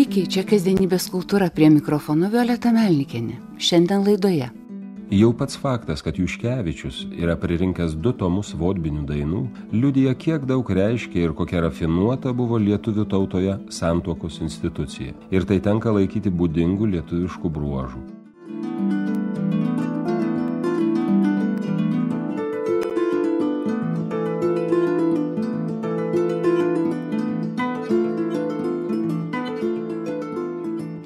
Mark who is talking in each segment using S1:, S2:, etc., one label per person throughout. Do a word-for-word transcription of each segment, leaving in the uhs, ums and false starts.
S1: Sveiki, čia kasdienybės kultūra, prie mikrofono Violeta Melnikienė. Šiandien laidoje.
S2: Jau pats faktas, kad Juškevičius yra pririnkęs du tomus vodbinių dainų, liudija, kiek daug reiškia ir kokia rafinuota buvo lietuvių tautoje santuokos institucija. Ir tai tenka laikyti būdingų lietuviškų bruožų.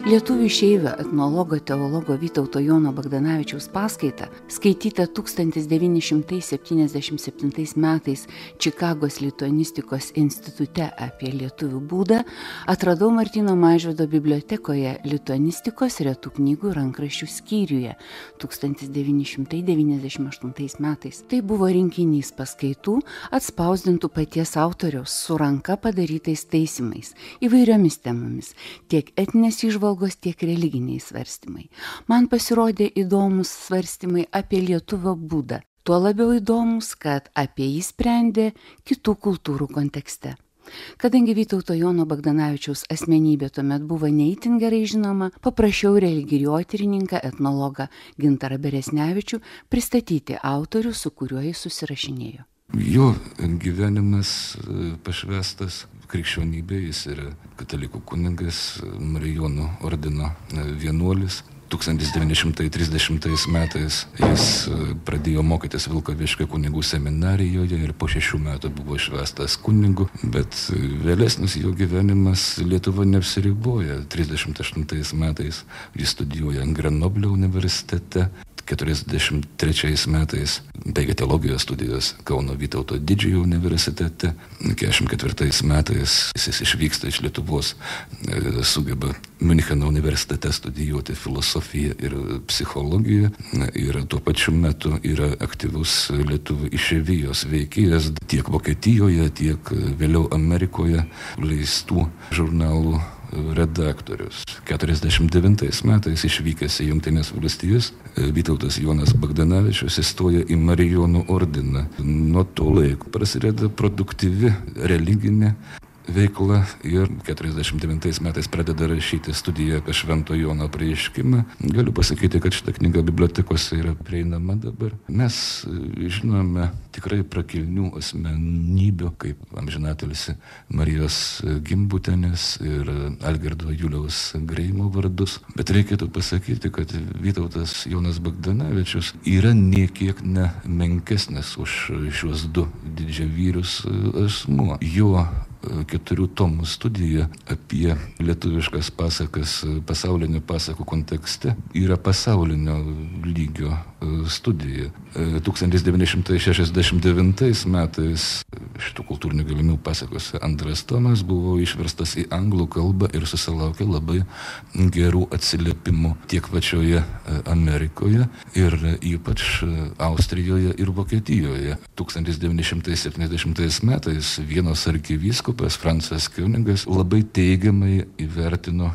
S1: Lietuvių išeivio etnologo teologo Vytauto Jono Bagdanavičiaus paskaitą, skaitytą tūkstantis devyni šimtai septyniasdešimt septintais metais Čikagos lituanistikos institute apie lietuvių būdą, atradau Martyno Mažvydo bibliotekoje lituanistikos retų knygų rankraščių skyriuje tūkstantis devyni šimtai devyniasdešimt aštuntais metais. Tai buvo rinkinys paskaitų atspausdintų paties autoriaus su ranka padarytais taisymais įvairiomis temomis, tiek etinės įžvalgos, tiek religiniai svarstymai. Man pasirodė įdomus svarstymai apie lietuvio būdą. Tuo labiau įdomus, kad apie jį sprendė kitų kultūrų kontekste. Kadangi Vytauto Jono Bagdanavičiaus asmenybė tuomet buvo neįtin gerai žinoma, paprašiau religijotyrininką etnologą Gintarą Beresnevičių pristatyti autorių, su kuriuo jis susirašinėjo.
S3: Jo gyvenimas pašvęstas krikščionybė, jis yra katalikų kunigas, Marijonų ordino vienuolis. tūkstantis devyni šimtai trisdešimtais metais jis pradėjo mokytis Vilkaviškio kunigų seminarijoje ir po šešių metų buvo išvestas kunigu, bet vėlesnis jo gyvenimas Lietuva neapsiriboja. trisdešimt aštuntais metais jis studijuoja Grenoblio universitete. keturiasdešimt trečiais metais baigė teologijos studijos Kauno Vytauto Didžiojo universitete. keturiasdešimt ketvirtais metais jis išvyksta iš Lietuvos, sugeba Miuncheno universitete studijuoti filosofiją ir psichologiją ir tuo pačiu metu yra aktyvus lietuvių išeivijos veikėjas tiek Vokietijoje, tiek vėliau Amerikoje leistų žurnalų redaktorius. keturiasdešimt devintais metais išvykęs į Jungtines valstijas, Vytautas Jonas Bagdanavičius įstoja į Marijonų ordiną. Nuo to laiko prasideda produktyvi religinė veikla ir keturiasdešimt devintais metais pradeda rašyti studiją apie Švento Jono apreiškimą. Galiu pasakyti, kad šita knyga bibliotekose yra prieinama dabar. Mes žinome tikrai prakilnių asmenybių, kaip amžinatilsį Marijos Gimbutienės ir Algirdo Juliaus Greimo vardus. Bet reikėtų pasakyti, kad Vytautas Jonas Bagdanavičius yra niekiek nemenkesnis už šiuos du didžiavyrius asmuo. Jo keturių tomų studija apie lietuviškas pasakas pasaulinio pasakų kontekste yra pasaulinio lygio studija. tūkstantis devyni šimtai šešiasdešimt devintais metais šitų kultūrinių gelmių pasakose antras tomas buvo išverstas į anglų kalbą ir susilaukė labai gerų atsiliepimų tiek pačioje Amerikoje ir ypač Austrijoje ir Vokietijoje. tūkstantis devyni šimtai septyniasdešimtais metais Vienos arkivyskupas Francas Kiunigas labai teigiamai įvertino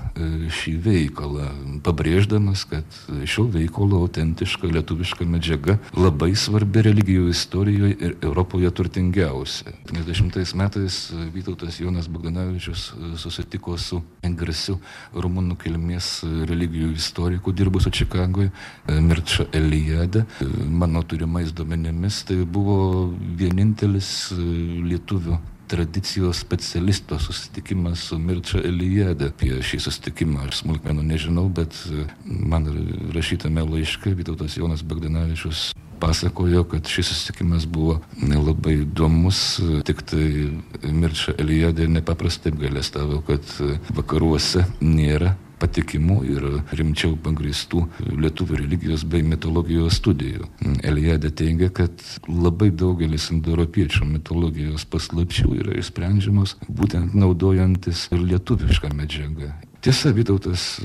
S3: šį veikalą, pabrėždamas, kad šio veikalo autentiška lietuviška medžiaga labai svarbi religijų istorijoje ir Europoje turtingiausia. septyniasdešimtais metais Vytautas Jonas Bagdanavičius susitiko su garsiu rumunų kilmės religijų istoriku dirbusiu Čikagoje, Mirča Eliade. Mano turimais duomenimis tai buvo vienintelis lietuvių tradicijos specialisto susitikimas su Mirča Eliade. Apie šį susitikimą aš smulkmenų nežinau, bet man rašytame laiške Vytautas Jonas Bagdanavičius pasakojo, kad šis susitikimas buvo labai įdomus, tik tai Mirča Eliade nepaprastai apgailestavo, kad vakaruose nėra patikimų ir rimčiau pagrįstų lietuvių religijos bei mitologijos studijų. Eliade teigia, kad labai daugelis indoeuropiečių mitologijos paslapčių yra išsprendžiamos būtent naudojantis lietuvišką medžiagą. Tiesa, Vytautas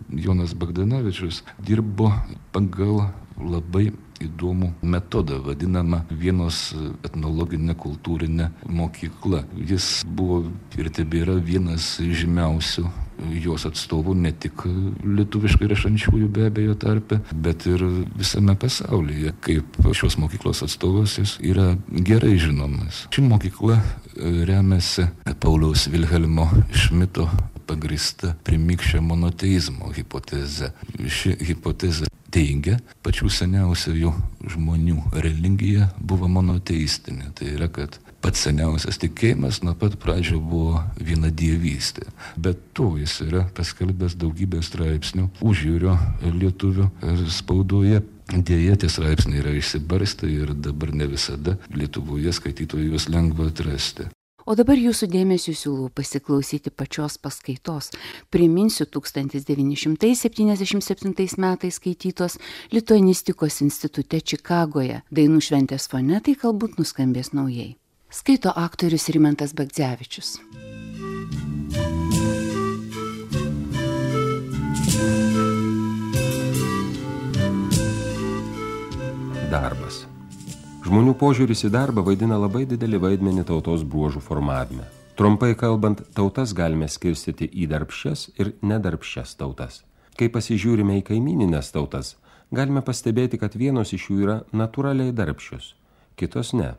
S3: Jonas Bagdanavičius dirbo pagal labai įdomų metodą, vadinamą Vienos etnologinė kultūrinė mokykla. Jis buvo ir tebėra vienas žymiausių jos atstovų ne tik lietuviškai rašančiųjų be abejo tarpe, bet ir visame pasaulyje. Kaip šios mokyklos atstovas jis yra gerai žinomas. Ši mokykla remiasi Pauliaus Vilhelmo Šmito pagrįsta primikščio monoteizmo hipoteze. Ši hipotezė teigia, pačių seniausių žmonių religija buvo monoteistinė. Tai yra, kad pats seniausias tikėjimas nuo pat pradžio buvo vienadievystė. Bet to jis yra paskelbęs daugybę straipsnių užjūrio lietuvių spaudoje. Dėja, tie straipsniai yra išsibarstę ir dabar ne visada Lietuvoje skaitytojų juos lengva atrasti.
S1: O dabar jūsų dėmesio siūlau pasiklausyti pačios paskaitos. Priminsiu tūkstantis devyni šimtai septyniasdešimt septintais metais skaitytos Lituanistikos institute Čikagoje. Dainų šventės fone tai galbūt nuskambės naujai. Skaito aktorius Rimantas Bagdzevičius.
S2: Darbas. Žmonių požiūris į darbą vaidina labai didelį vaidmenį tautos bruožų formavime. Trumpai kalbant, tautas galime skirstyti į darbščias ir nedarbščias tautas. Kai pasižiūrime į kaimyninės tautas, galime pastebėti, kad vienos iš jų yra natūraliai darbščios, kitos ne.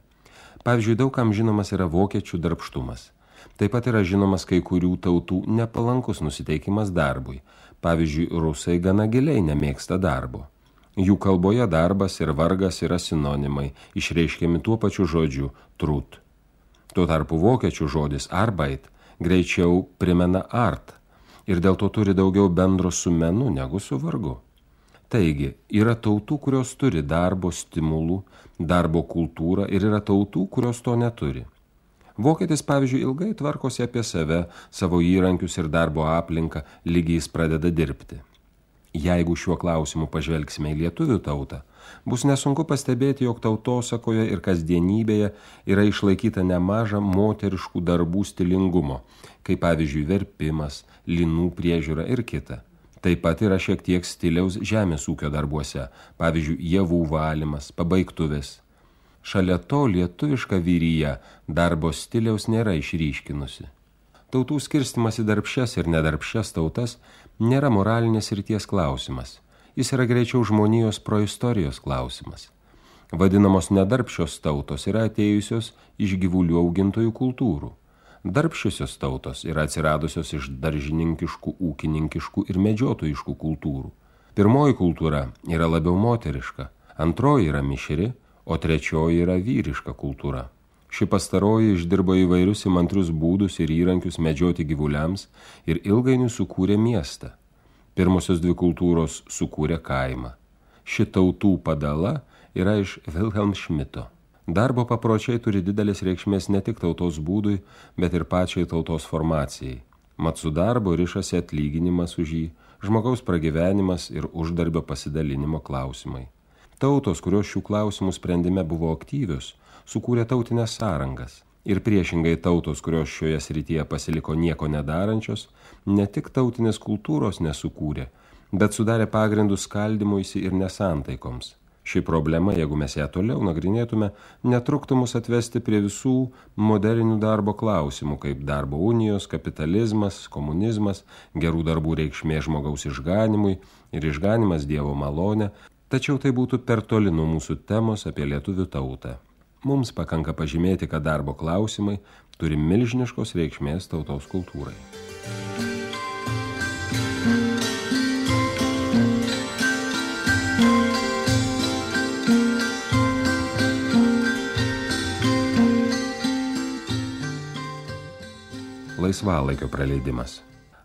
S2: Pavyzdžiui, daugam žinomas yra vokiečių darbštumas. Taip pat yra žinomas kai kurių tautų nepalankus nusiteikimas darbui. Pavyzdžiui, rusai gana giliai nemėgsta darbo. Jų kalboje darbas ir vargas yra sinonimai, išreiškiami tuo pačiu žodžiu trut. Tuo tarpu vokiečių žodis arbeit greičiau primena art ir dėl to turi daugiau bendro su menu negu su vargu. Taigi, yra tautų, kurios turi darbo stimulų, darbo kultūrą ir yra tautų, kurios to neturi. Vokietis, pavyzdžiui, ilgai tvarkosi apie save, savo įrankius ir darbo aplinką, lygiai jis pradeda dirbti. Jeigu šiuo klausimu pažvelgsime į lietuvių tautą, bus nesunku pastebėti, jog tautosakoje ir kasdienybėje yra išlaikyta nemaža moteriškų darbų stilingumo, kaip pavyzdžiui verpimas, linų priežiūra ir kita. Taip pat yra šiek tiek stiliaus žemės ūkio darbuose, pavyzdžiui javų valymas, pabaigtuvės. Šalia to lietuviška vyrija darbo stiliaus nėra išryškinusi. Tautų skirstimas į darbščias ir nedarbščias tautas nėra moralinės srities klausimas. Jis yra greičiau žmonijos proistorijos klausimas. Vadinamos nedarbščios tautos yra atėjusios iš gyvulių augintojų kultūrų. Darbščiosios tautos yra atsiradusios iš daržininkiškų, ūkininkiškų ir medžiotojiškų kultūrų. Pirmoji kultūra yra labiau moteriška, antroji yra mišri, o trečioji yra vyriška kultūra. Ši pastaroji išdirbo įvairius įmantrius būdus ir įrankius medžioti gyvuliams ir ilgainiui sukūrė miestą. Pirmosios dvi kultūros sukūrė kaimą. Ši tautų padala yra iš Wilhelm Schmidto. Darbo papročiai turi didelės reikšmės ne tik tautos būdui, bet ir pačiai tautos formacijai. Mat su darbo rišasi atlyginimas už jį, žmogaus pragyvenimas ir uždarbio pasidalinimo klausimai. Tautos, kurios šių klausimų sprendime buvo aktyvios, sukūrė tautinės sąrangas. Ir priešingai tautos, kurios šioje srityje pasiliko nieko nedarančios, ne tik tautinės kultūros nesukūrė, bet sudarė pagrindus skaldymuisi ir nesantaikoms. Ši problema, jeigu mes ją toliau nagrinėtume, netruktų mus atvesti prie visų modernių darbo klausimų, kaip darbo unijos, kapitalizmas, komunizmas, gerų darbų reikšmė žmogaus išganimui ir išganimas Dievo malonė, tačiau tai būtų per toli nuo mūsų temos apie lietuvių tautą. Mums pakanka pažymėti, kad darbo klausimai turi milžiniškos reikšmės tautos kultūrai. Laisvalaikio praleidimas.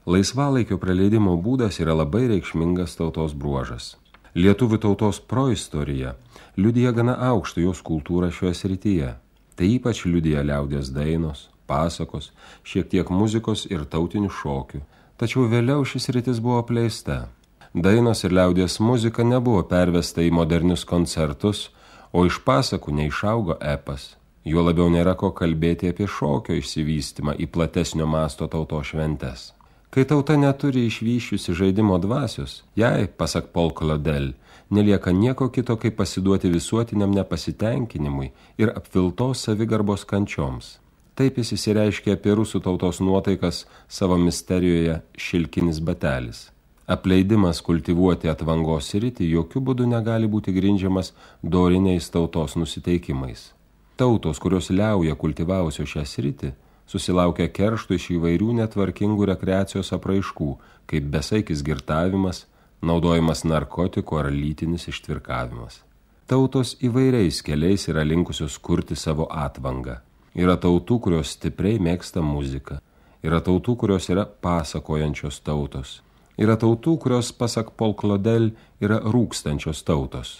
S2: Laisvalaikio praleidimo būdas yra labai reikšmingas tautos bruožas. Lietuvių tautos proistorija liudija gana aukštą jos kultūrą šioje srityje. Tai ypač liudija liaudies dainos, pasakos, šiek tiek muzikos ir tautinių šokių. Tačiau vėliau šis sritis buvo apleista. Dainos ir liaudies muzika nebuvo pervesta į modernius koncertus, o iš pasakų neišaugo epas. Juo labiau nėra ko kalbėti apie šokio išsivystymą į platesnio masto tautos šventes. Kai tauta neturi išvyščiusi žaidimo dvasios, jai, pasak Paul Claudel, nelieka nieko kito, kaip pasiduoti visuotiniam nepasitenkinimui ir apviltos savigarbos kančioms. Taip jis įsireiškia apie rusų tautos nuotaikas savo misterijoje Šilkinis batelis. Apleidimas kultivuoti atvangos sritį jokių būdų negali būti grindžiamas doriniais tautos nusiteikimais. Tautos, kurios liauja kultivavusios šią sritį, susilaukia keršto iš įvairių netvarkingų rekreacijos apraiškų, kaip besaikis girtavimas, naudojimas narkotikų ar lytinis ištvirkavimas. Tautos įvairiais keliais yra linkusios kurti savo atvangą. Yra tautų, kurios stipriai mėgsta muziką. Yra tautų, kurios yra pasakojančios tautos. Yra tautų, kurios, pasak Paul Claudel, yra rūkstančios tautos.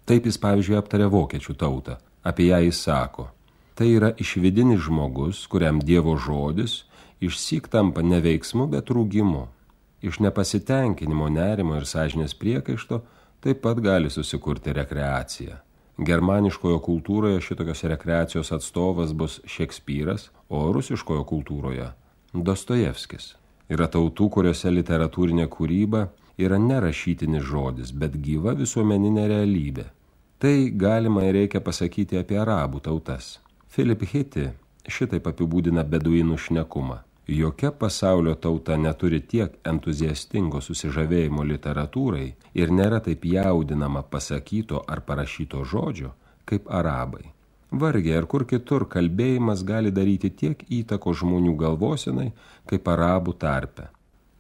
S2: Taip jis, pavyzdžiui, aptarė vokiečių tautą. Apie ją jis sako: tai yra išvidinis žmogus, kuriam Dievo žodis išsyk tampa ne veiksmu, bet rūgimu. Iš nepasitenkinimo, nerimo ir sąžinės priekaišto taip pat gali susikurti rekreacija. Germaniškojo kultūroje šitokios rekreacijos atstovas bus Šekspyras, o rusiškojo kultūroje Dostojevskis. Yra tautų, kuriuose literatūrinė kūryba yra ne rašytinis žodis, bet gyva visuomeninė realybė. Tai galima ir reikia pasakyti apie arabų tautas. Philip Hitti šitaip apibūdina beduinų šnekumą. Jokia pasaulio tauta neturi tiek entuziastingo susižavėjimo literatūrai ir nėra taip jaudinama pasakyto ar parašyto žodžio, kaip arabai. Vargiai ar kur kitur kalbėjimas gali daryti tiek įtako žmonių galvosenai, kaip arabų tarpe.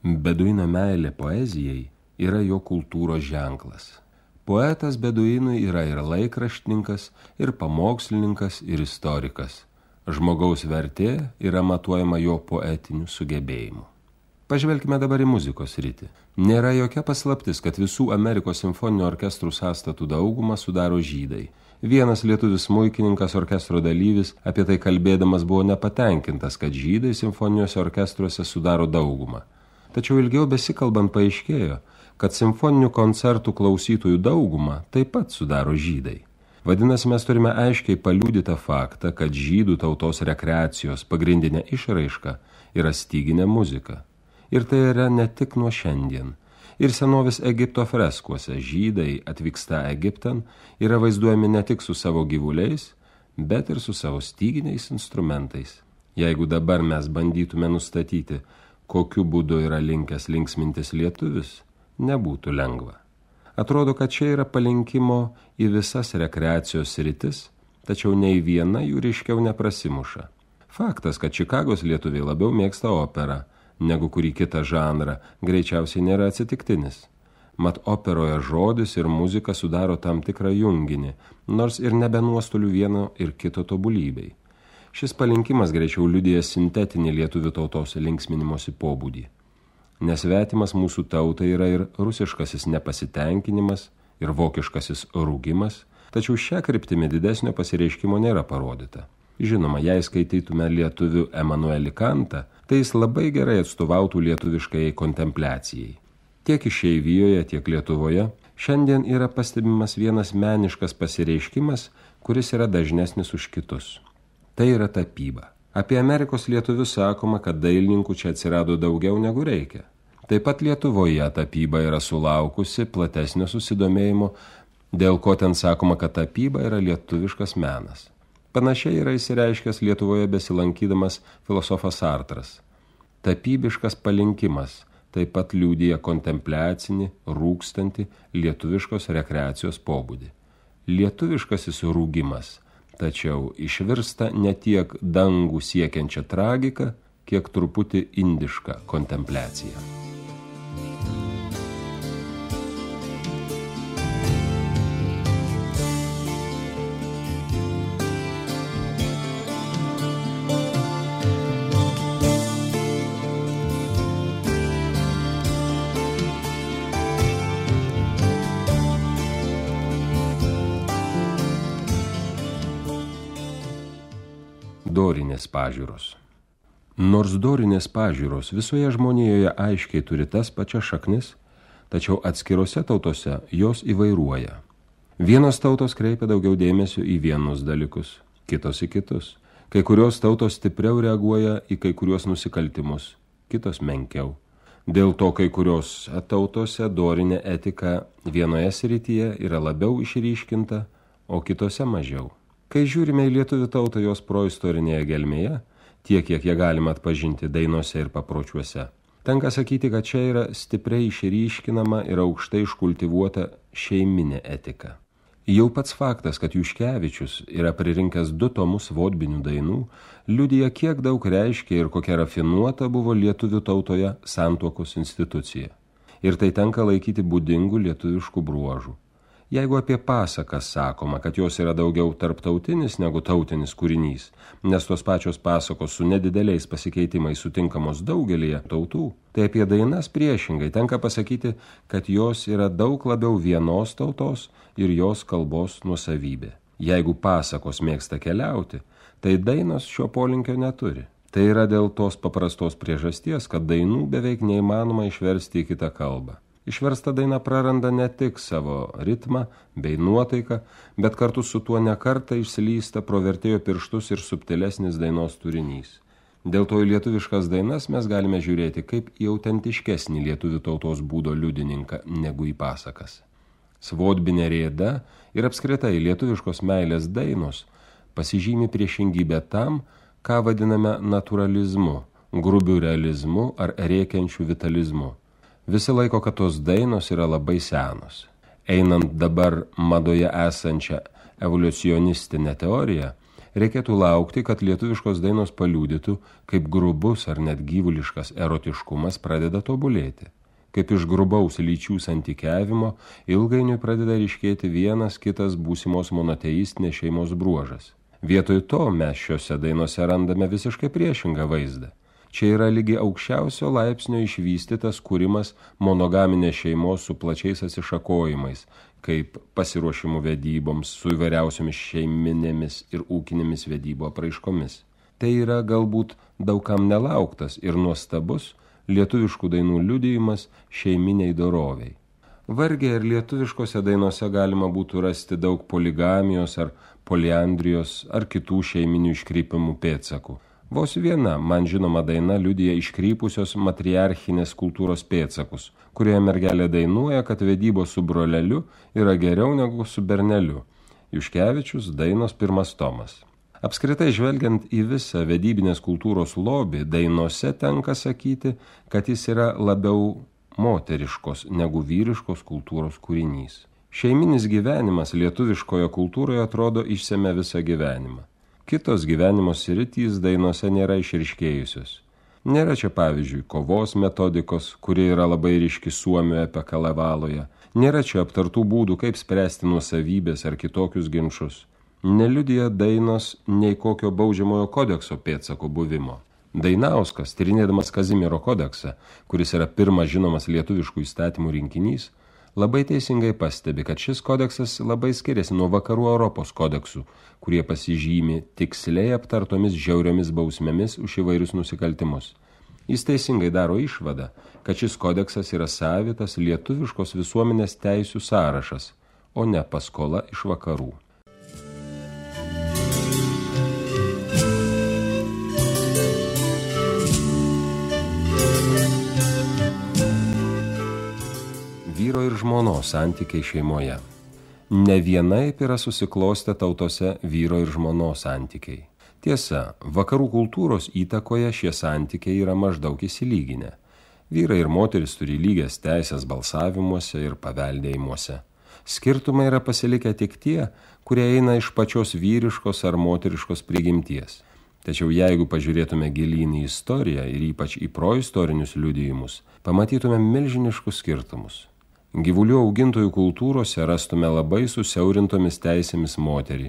S2: Beduino meilė poezijai yra jo kultūros ženklas. Poetas beduinui yra ir laikraštininkas, ir pamokslininkas, ir istorikas. Žmogaus vertė yra matuojama jo poetiniu sugebėjimu. Pažvelkime dabar į muzikos sritį. Nėra jokia paslaptis, kad visų Amerikos simfoninių orkestrų sąstatų daugumą sudaro žydai. Vienas lietuvis smuikininkas, orkestro dalyvis, apie tai kalbėdamas buvo nepatenkintas, kad žydai simfoniniuose orkestruose sudaro daugumą. Tačiau ilgiau besikalbant paaiškėjo, kad simfoninių koncertų klausytojų daugumą taip pat sudaro žydai. Vadinasi, mes turime aiškiai paliudytą faktą, kad žydų tautos rekreacijos pagrindinė išraiška yra styginė muzika. Ir tai yra ne tik nuo šiandien. Ir senovės Egipto freskuose žydai atvyksta Egiptan yra vaizduojami ne tik su savo gyvuliais, bet ir su savo styginiais instrumentais. Jeigu dabar mes bandytume nustatyti, kokiu būdu yra linkęs linksmintis lietuvis, nebūtų lengva. Atrodo, kad čia yra palinkimo į visas rekreacijos sritis, tačiau nei viena jų ryškiau neprasimuša. Faktas, kad Čikagos lietuviai labiau mėgsta operą negu kurį kitą žanrą, greičiausiai nėra atsitiktinis. Mat operoje žodis ir muzika sudaro tam tikrą junginį, nors ir nebe nuostolių vieno ir kito tobulybei. Šis palinkimas greičiau liudija sintetinį lietuvių tautos linksminimosi pobūdį. Nesvetimas mūsų tautai yra ir rusiškasis nepasitenkinimas, ir vokiškasis rūgimas, tačiau šią kryptimį didesnio pasireiškimo nėra parodyta. Žinoma, jei skaitytume lietuvių Emanuelį Kantą, tai jis labai gerai atstovautų lietuviškai kontempliacijai. Tiek išeivijoje, tiek Lietuvoje šiandien yra pastebimas vienas meniškas pasireiškimas, kuris yra dažnesnis už kitus. Tai yra tapyba. Apie Amerikos lietuvius sakoma, kad dailininkų čia atsirado daugiau negu reikia. Taip pat Lietuvoje tapyba yra sulaukusi platesnio susidomėjimo, dėl ko ten sakoma, kad tapyba yra lietuviškas menas. Panašiai yra įsireiškęs Lietuvoje besilankydamas filosofas Sartras. Tapybiškas palinkimas taip pat liudija kontempliacinį, rūkstantį lietuviškos rekreacijos pobūdį. Lietuviškasis rūgimas, tačiau išvirsta ne tiek dangų siekiančią tragiką, kiek truputį indišką kontempliaciją. Dorinės pažiūros. Nors dorinės pažiūros visoje žmonijoje aiškiai turi tas pačias šaknis, tačiau atskirose tautose jos įvairuoja. Vienos tautos kreipia daugiau dėmesio į vienus dalykus, kitos į kitus. Kai kurios tautos stipriau reaguoja į kai kurios nusikaltimus, kitos menkiau. Dėl to kai kurios tautose dorinė etika vienoje srityje yra labiau išryškinta, o kitose mažiau. Kai žiūrime į lietuvių tautą jos proistorinėje gelmėje, tiek, kiek ją galima atpažinti dainose ir papročiuose, tenka sakyti, kad čia yra stipriai išryškinama ir aukštai iškultivuota šeiminė etika. Jau pats faktas, kad Juškevičius yra pririnkęs du tomus vodbinių dainų, liudija, kiek daug reiškia ir kokia rafinuota buvo lietuvių tautoje santuokos institucija. Ir tai tenka laikyti būdingų lietuviškų bruožų. Jeigu apie pasakas sakoma, kad jos yra daugiau tarptautinis negu tautinis kūrinys, nes tos pačios pasakos su nedideliais pasikeitimais sutinkamos daugelėje tautų, tai apie dainas priešingai tenka pasakyti, kad jos yra daug labiau vienos tautos ir jos kalbos nuosavybė. Jeigu pasakos mėgsta keliauti, tai dainos šio polinkio neturi. Tai yra dėl tos paprastos priežasties, kad dainų beveik neįmanoma išversti į kitą kalbą. Išversta daina praranda ne tik savo ritmą bei nuotaiką, bet kartu su tuo nekartą išslysta pro vertėjo pirštus ir subtilesnis dainos turinys. Dėl to į lietuviškas dainas mes galime žiūrėti kaip į autentiškesnį lietuvių tautos būdo liudininką negu į pasakas. Svodbinė rėda ir apskritai lietuviškos meilės dainos pasižymi priešingybę tam, ką vadiname naturalizmu, grubiu realizmu ar rėkiančiu vitalizmu. Visi laiko, kad tos dainos yra labai senos. Einant dabar madoje esančią evoliucionistinę teoriją, reikėtų laukti, kad lietuviškos dainos paliudytų, kaip grubus ar net gyvuliškas erotiškumas pradeda tobulėti. Kaip iš grubaus lyčių santykiavimo ilgainiui pradeda ryškėti vienas kitas būsimos monoteistinės šeimos bruožas. Vietoj to mes šiose dainose randame visiškai priešingą vaizdą. Čia yra lygi aukščiausio laipsnio išvystytas kūrimas monogaminės šeimos su plačiais atsišakojimais, kaip pasiruošimų vedyboms su įvairiausiomis šeiminėmis ir ūkinėmis vedybų apraiškomis. Tai yra galbūt daugam nelauktas ir nuostabus lietuviškų dainų liudijimas šeiminiai doroviai. Vargiai ir lietuviškose dainose galima būtų rasti daug poligamijos ar poliandrijos ar kitų šeiminių iškrypimų pėdsakų. Vos viena, man žinoma daina liudija iškrypusios matriarchinės kultūros pėdsakus, kurioje mergelė dainuoja, kad vedybos su broleliu yra geriau negu su berneliu. Juškevičius, dainos pirmas tomas. Apskritai žvelgiant į visą vedybinės kultūros lobį, dainose tenka sakyti, kad jis yra labiau moteriškos negu vyriškos kultūros kūrinys. Šeiminis gyvenimas lietuviškoje kultūroje atrodo išsemia visą gyvenimą. Kitos gyvenimo sritys dainose nėra išryškėjusios. Nėra čia pavyzdžiui kovos metodikos, kuri yra labai ryški Suomijoje apie Kalavaloje. Nėra čia aptartų būdų, kaip spręsti nuosavybės ar kitokius ginčus. Neliudija dainos nei kokio baudžiamojo kodekso pėdsako buvimo. Dainauskas, tyrinėdamas Kazimiero kodeksą, kuris yra pirmas žinomas lietuviškų įstatymų rinkinys, labai teisingai pastebi, kad šis kodeksas labai skiriasi nuo vakarų Europos kodeksų, kurie pasižymi tiksliai aptartomis žiauriomis bausmėmis už įvairius nusikaltimus. Jis teisingai daro išvadą, kad šis kodeksas yra savitas lietuviškos visuomenės teisių sąrašas, o ne paskola iš vakarų. Vyro ir žmonos santykiai šeimoje. Ne vienaip yra susiklostę tautose vyro ir žmonos santykiai. Tiesa, vakarų kultūros įtakoje šie santykiai yra maždaug įsilyginę. Vyrai ir moteris turi lygias teisės balsavimuose ir paveldėjimuose. Skirtumai yra pasilikę tik tie, kurie eina iš pačios vyriškos ar moteriškos prigimties. Tačiau jeigu pažiūrėtume gilyn į istoriją ir ypač į proistorinius liudijimus, pamatytume milžiniškus skirtumus. Gyvulių augintojų kultūrose rastume labai susiaurintomis teisėmis moterį,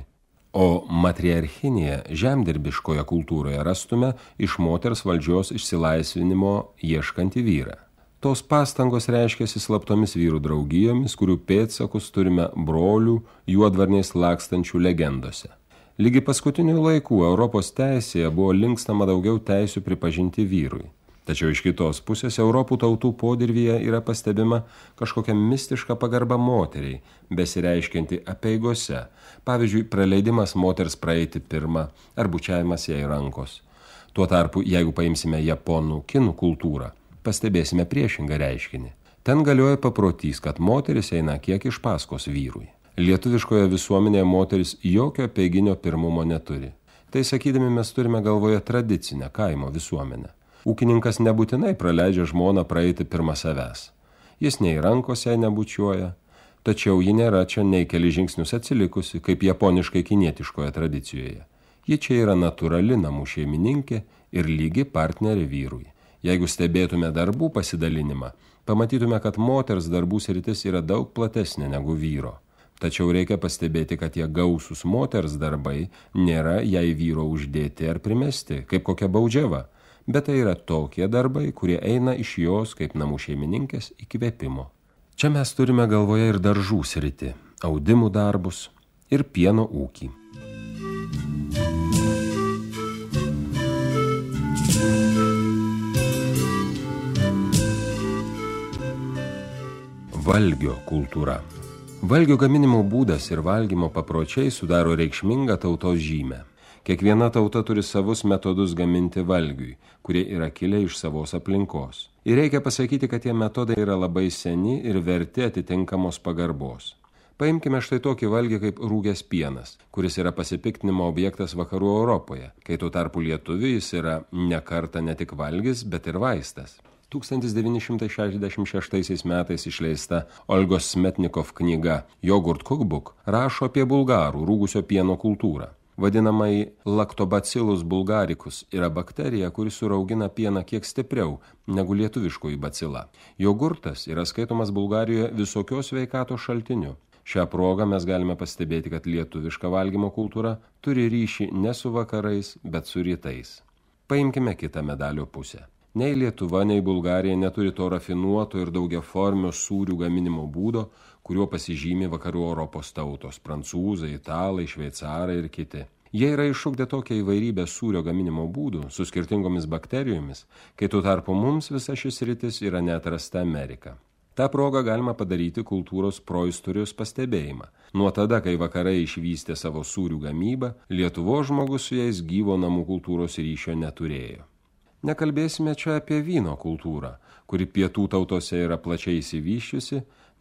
S2: o matriarchinėje žemdirbiškoje kultūroje rastume iš moters valdžios išsilaisvinimo ieškantį vyrą. Tos pastangos reiškiasi slaptomis vyrų draugijomis, kurių pėdsakus turime brolių juodvarniais lakstančių legendose. Lygi paskutinių laikų Europos teisėje buvo linkstama daugiau teisių pripažinti vyrui. Tačiau iš kitos pusės Europų tautų podirvyje yra pastebima kažkokia mistiška pagarba moteriai, besireiškianti apeigose, pavyzdžiui, praleidimas moters praeiti pirmą ar bučiavimas jai rankos. Tuo tarpu, jeigu paimsime japonų kinų kultūrą, pastebėsime priešingą reiškinį. Ten galioja paprotys, kad moteris eina kiek iš paskos vyrui. Lietuviškoje visuomenėje moteris jokio apeiginio pirmumo neturi. Tai sakydami mes turime galvoje tradicinę kaimo visuomenę. Ūkininkas nebūtinai praleidžia žmoną praeiti pirmą savęs. Jis nei rankos jai nebučiuoja, tačiau ji nėra čia nei keli žingsnius atsilikusi, kaip japoniškai kinietiškoje tradicijoje. Ji čia yra natūrali namų šeimininkė ir lygi partnerė vyrui. Jeigu stebėtume darbų pasidalinimą, pamatytume, kad moters darbų sritis yra daug platesnė negu vyro. Tačiau reikia pastebėti, kad tie gausūs moters darbai nėra jai vyro uždėti ar primesti, kaip kokia baudžiava, bet tai yra tokie darbai, kurie eina iš jos kaip namų šeimininkės įkvėpimo. Čia mes turime galvoje ir daržų sritį, audimų darbus ir pieno ūkį. Valgio kultūra. Valgio gaminimo būdas ir valgymo papročiai sudaro reikšmingą tautos žymę. Kiekviena tauta turi savus metodus gaminti valgiui, kurie yra kilę iš savos aplinkos. Ir reikia pasakyti, kad tie metodai yra labai seni ir verti atitinkamos pagarbos. Paimkime štai tokį valgį kaip rūgęs pienas, kuris yra pasipiktinimo objektas vakarų Europoje, kai tuo tarpu lietuviui jis yra ne kartą ne tik valgis, bet ir vaistas. tūkstantis devyni šimtai šešiasdešimt šeštaisiais metais išleista Olgos Smetnikov knyga Yogurt Cookbook rašo apie bulgarų rūgusio pieno kultūrą. Vadinamai Lactobacillus bulgaricus yra bakterija, kuri suraugina pieną kiek stipriau negu lietuviškoji bacila. Jogurtas yra skaitomas Bulgarijoje visokios sveikatos šaltiniu. Šią progą mes galime pastebėti, kad lietuviška valgymo kultūra turi ryšį ne su vakarais, bet su rytais. Paimkime kitą medalio pusę. Nei Lietuva, nei Bulgarija neturi to rafinuoto ir daugiaformio sūrių gaminimo būdo, kuriuo pasižymi vakarų Europos tautos – prancūzai, italai, šveicarai ir kiti. Jie yra išugdę tokią įvairybę sūrio gaminimo būdų su skirtingomis bakterijomis, kai tuo tarpu mums visa šis sritis yra neatrasta Amerika. Ta proga galima padaryti kultūros proistorijos pastebėjimą. Nuo tada, kai vakarai išvystė savo sūrių gamybą, Lietuvos žmogus su jais gyvo namų kultūros ryšio neturėjo. Nekalbėsime čia apie vyno kultūrą, kuri pietų tautose yra plačiai įsivyščiusi,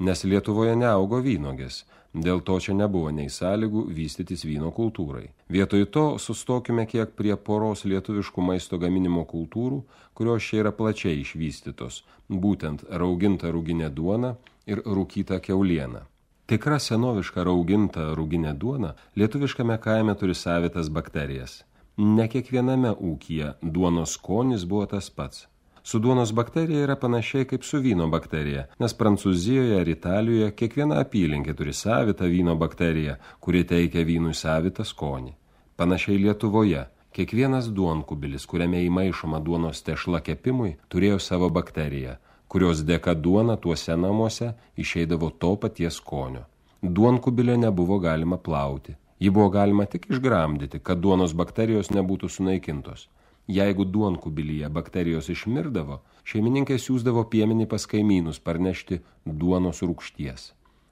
S2: nes Lietuvoje neaugo vynogės, dėl to čia nebuvo nei sąlygų vystytis vyno kultūrai. Vietoj to sustokime kiek prie poros lietuviškų maisto gaminimo kultūrų, kurios čia yra plačiai išvystytos, būtent rauginta ruginė duona ir rūkyta kiauliena. Tikra senoviška rauginta ruginė duona lietuviškame kaime turi savitas bakterijas. Ne kiekviename ūkyje duonos skonis buvo tas pats. Su duonos bakterija yra panašiai kaip su vyno bakterija, nes Prancūzijoje ar Italijoje kiekviena apylinkė turi savitą vyno bakteriją, kuri teikia vynui savitą skonį. Panašiai Lietuvoje, kiekvienas duonkubilis, kuriame įmaišoma duonos tešla kepimui, turėjo savo bakteriją, kurios dėka duona tuose namuose išeidavo to paties skonio. Duonkubilio nebuvo galima plauti. Jį buvo galima tik išgramdyti, kad duonos bakterijos nebūtų sunaikintos. Jeigu duonkubilyje bakterijos išmirdavo, šeimininkai siųsdavo piemenį pas kaimynus parnešti duonos rūgšties.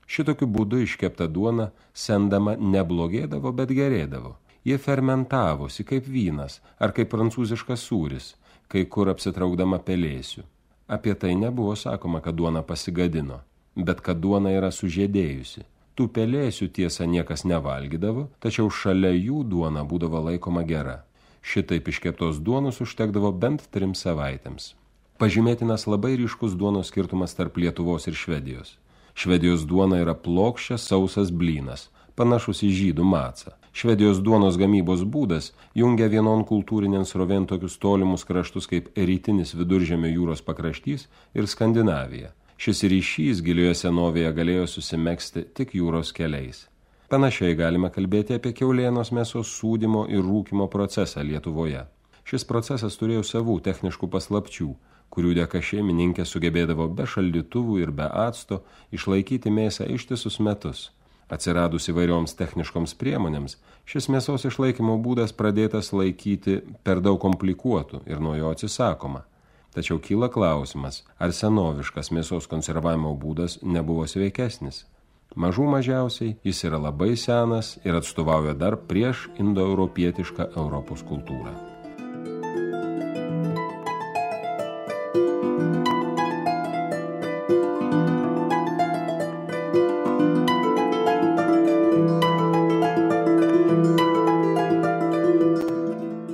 S2: Šitokiu būdu iškepta duona sendama neblogėdavo, bet gerėdavo. Jie fermentavosi kaip vynas ar kaip prancūziškas sūris, kai kur apsitraukdama pelėsių. Apie tai nebuvo sakoma, kad duona pasigadino, bet kad duona yra sužiedėjusi. Tų pelėsių tiesa niekas nevalgydavo, tačiau šalia jų duona būdavo laikoma gera. Šitaip iškeptos duonos užtekdavo bent trim savaitėms. Pažymėtinas labai ryškus duonos skirtumas tarp Lietuvos ir Švedijos. Švedijos duona yra plokščias sausas blynas, panašus į žydų macą. Švedijos duonos gamybos būdas jungia vienon kultūrinėn srovėn tokius tolimus kraštus kaip rytinis Viduržemio jūros pakraštys ir Skandinavija. Šis ryšys gilioje senovėje galėjo susimegzti tik jūros keliais. Panašiai galime kalbėti apie kiaulienos mėsos sūdymo ir rūkymo procesą Lietuvoje. Šis procesas turėjo savų techniškų paslapčių, kurių dėka šeimininkė sugebėdavo be šaldytuvų ir be acto išlaikyti mėsą ištisus metus. Atsiradus įvairioms techniškoms priemonėms, šis mėsos išlaikymo būdas pradėtas laikyti per daug komplikuotų ir nuo jo atsisakoma. Tačiau kyla klausimas, ar senoviškas mėsos konservavimo būdas nebuvo sveikesnis. Mažų mažiausiai jis yra labai senas ir atstovauja dar prieš indoeuropietišką Europos kultūrą.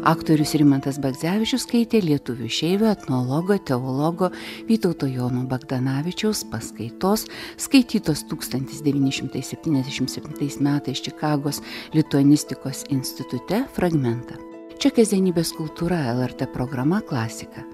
S1: Aktorius Rimantas Bagdzevičius skaitė lietuvių išeivio, etnologo, teologo Vytauto Jono Bagdanavičiaus paskaitos, skaitytos tūkstantis devyni šimtai septyniasdešimt septintais metais Čikagos lituanistikos institute fragmentą. Čia kasdienybės kultūra, L R T programa Klasika.